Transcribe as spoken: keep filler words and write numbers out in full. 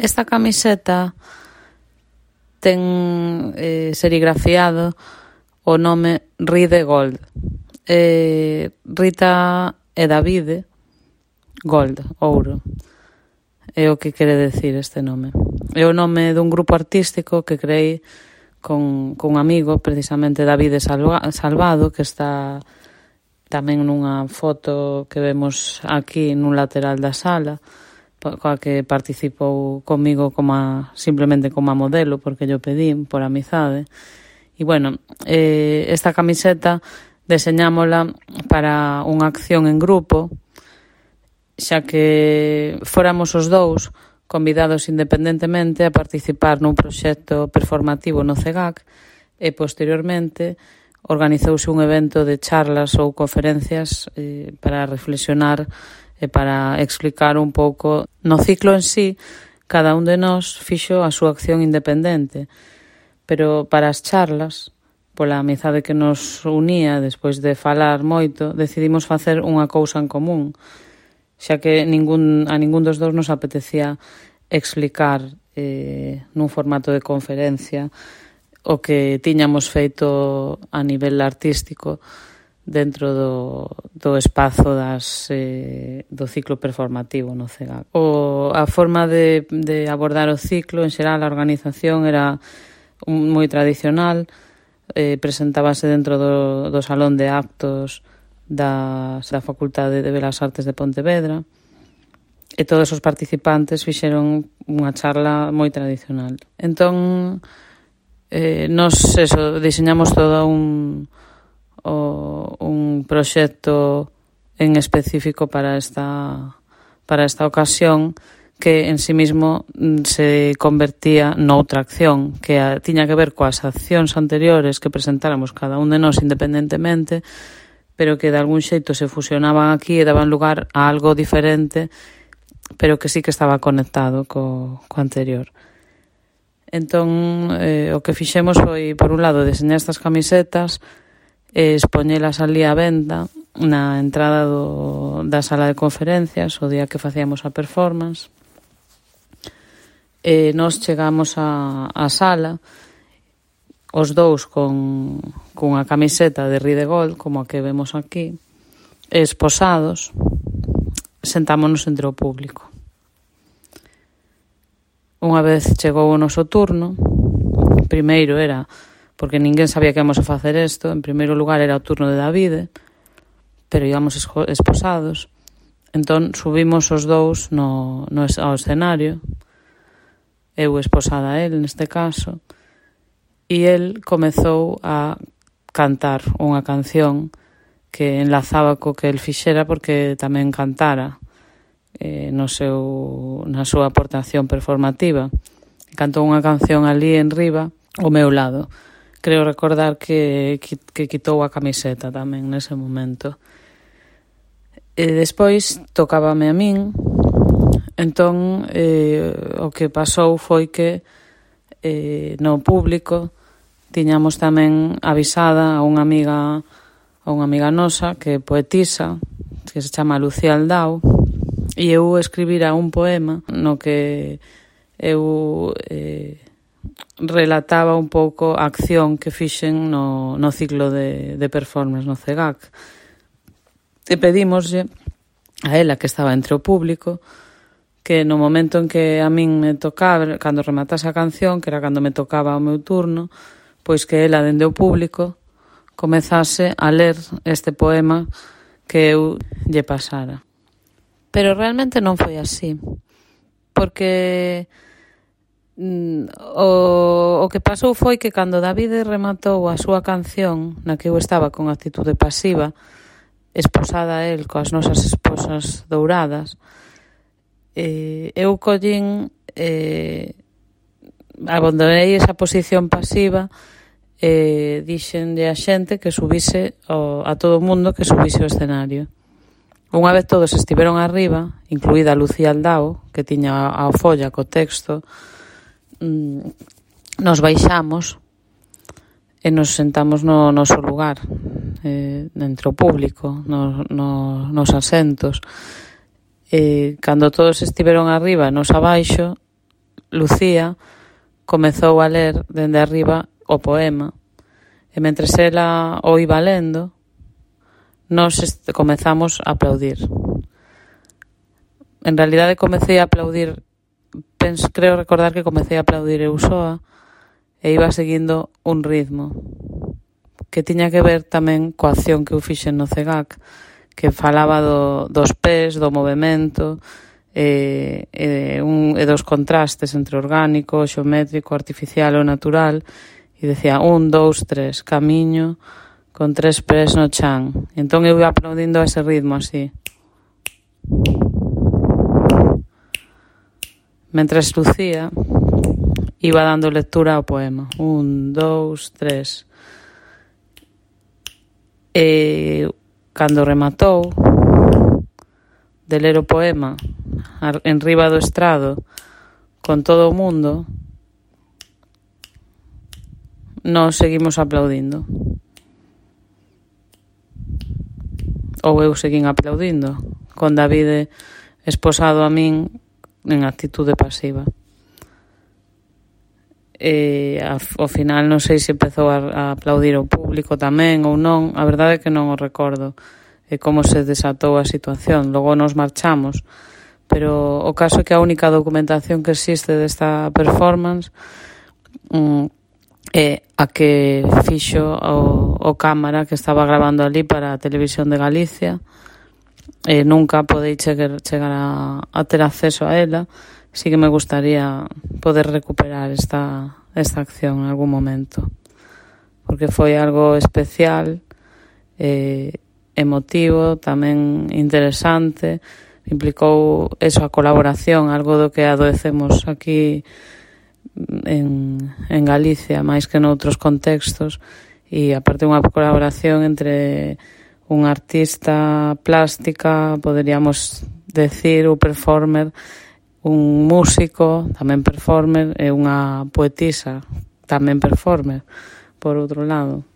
Esta camiseta ten eh, serigrafiado o nome Ride Gold. Eh, Rita e Davide Gold, ouro. É o que quere decir este nome. É o nome dun grupo artístico que creei con, con un amigo, precisamente Davide Salva, Salvado, que está tamén nunha foto que vemos aquí nun lateral da sala, coa que participou comigo como a, simplemente como a modelo, porque yo pedí por amizade. E, bueno, eh, esta camiseta deseñámola para unha acción en grupo, xa que fóramos os dous convidados independentemente a participar nun proxecto performativo no C E G A C e, posteriormente, organizouse un evento de charlas ou conferencias eh, para reflexionar e para explicar un pouco no ciclo en sí. Cada un de nós fixo a súa acción independente, pero para as charlas, pola amizade que nos unía despois de falar moito, decidimos facer unha cousa en común, xa que ningún, a ningún dos dous nos apetecía explicar eh, nun formato de conferencia o que tiñamos feito a nivel artístico dentro do, do espazo das, eh, do ciclo performativo no C E G A C. O, a forma de, de abordar o ciclo, en xeral, a organización era un, moi tradicional, eh, presentábase dentro do, do salón de actos da, da Facultade de Belas Artes de Pontevedra, e todos os participantes fixeron unha charla moi tradicional. Entón, eh, nos eso, diseñamos todo un, o, un proxecto en específico para esta, para esta ocasión, que en sí mismo se convertía noutra acción, que a, tiña que ver coas accións anteriores que presentáramos cada un de nós independentemente, pero que de algún xeito se fusionaban aquí e daban lugar a algo diferente, pero que sí que estaba conectado co, co anterior. Entón, eh, o que fixemos foi, por un lado, deseñar estas camisetas e expoñelas ali á venda na entrada do, da sala de conferencias o día que facíamos a performance. E nos chegamos á, á sala, os dous con, con a camiseta de Ride Gold, como a que vemos aquí, esposados, sentámonos entre o público. Unha vez chegou o noso turno, primeiro era, porque ninguén sabía que íamos a facer isto, en primeiro lugar era o turno de Davide, pero íbamos esposados, entón subimos os dous no, no, ao escenario, eu esposada a él neste caso, e el comezou a cantar unha canción que enlazaba co que el fixera, porque tamén cantara eh, no seu, na súa aportación performativa. Cantou unha canción ali en riba, ao meu lado. Creo recordar que, que, que quitou a camiseta tamén nese momento. E despois tocábame a min, entón eh, o que pasou foi que eh, no público tiñamos tamén avisada a unha amiga a unha amiga nosa que é poetisa, que se chama Lucía Aldao, e eu escribira un poema no que eu eh, relataba un pouco a acción que fixen no, no ciclo de, de performance no C E G A C. E pedímoslle a ela, que estaba entre o público, que no momento en que a min me tocaba, cando rematase a canción, que era cando me tocaba o meu turno, pois que ela, dende o público, comezase a ler este poema que eu lle pasara. Pero realmente non foi así, porque mm, o, o que pasou foi que cando Davide rematou a súa canción, na que eu estaba con actitude pasiva, esposada a él coas nosas esposas douradas, eh, eu collín, eh, abandonei esa posición pasiva e dixenlle a xente que subise o, a todo o mundo que subise ao escenario. Unha vez todos estiveron arriba, incluída Lucía Aldao, que tiña a folla co texto, nos baixamos e nos sentamos no noso lugar, eh, entre o público, no, no, nos asentos. E cando todos estiveron arriba, nos abaixo, Lucía comezou a ler dende arriba o poema e mentres ela o iba lendo nós comezamos a aplaudir. En realidade comecei a aplaudir, penso, creo recordar que comecei a aplaudir eu soa e iba seguindo un ritmo que tiña que ver tamén coa acción que eu fixen no C E G A C, que falaba do, dos pés, do movimento e, e, un, e dos contrastes entre orgánico, xeométrico, artificial ou natural, e decía un, dous, tres, camiño con tres pés no chan. E entón eu ia aplaudindo a ese ritmo así. Mentres Lucía iba dando lectura ao poema. Un, dous, tres. E cando rematou de ler o poema en riba do estrado con todo o mundo, nós seguimos aplaudindo. Ou eu seguín aplaudindo, con Davide esposado a min en actitude pasiva. E ao final non sei se empezou a, a aplaudir o público tamén ou non, a verdade é que non o recordo e como se desatou a situación. Logo nos marchamos, pero o caso é que a única documentación que existe desta performance um, é a que fixo o, o cámara que estaba grabando ali para a Televisión de Galicia e nunca podei chegar, chegar a, a ter acceso a ela. Sí que me gustaría poder recuperar esta, esta acción en algún momento, porque foi algo especial, eh, emotivo, tamén interesante, implicou eso, a colaboración, algo do que adoecemos aquí en, en Galicia, máis que noutros contextos, e aparte unha colaboración entre un artista plástica, poderíamos decir, o performer, un músico, tamén performer, e unha poetisa, tamén performer, por outro lado.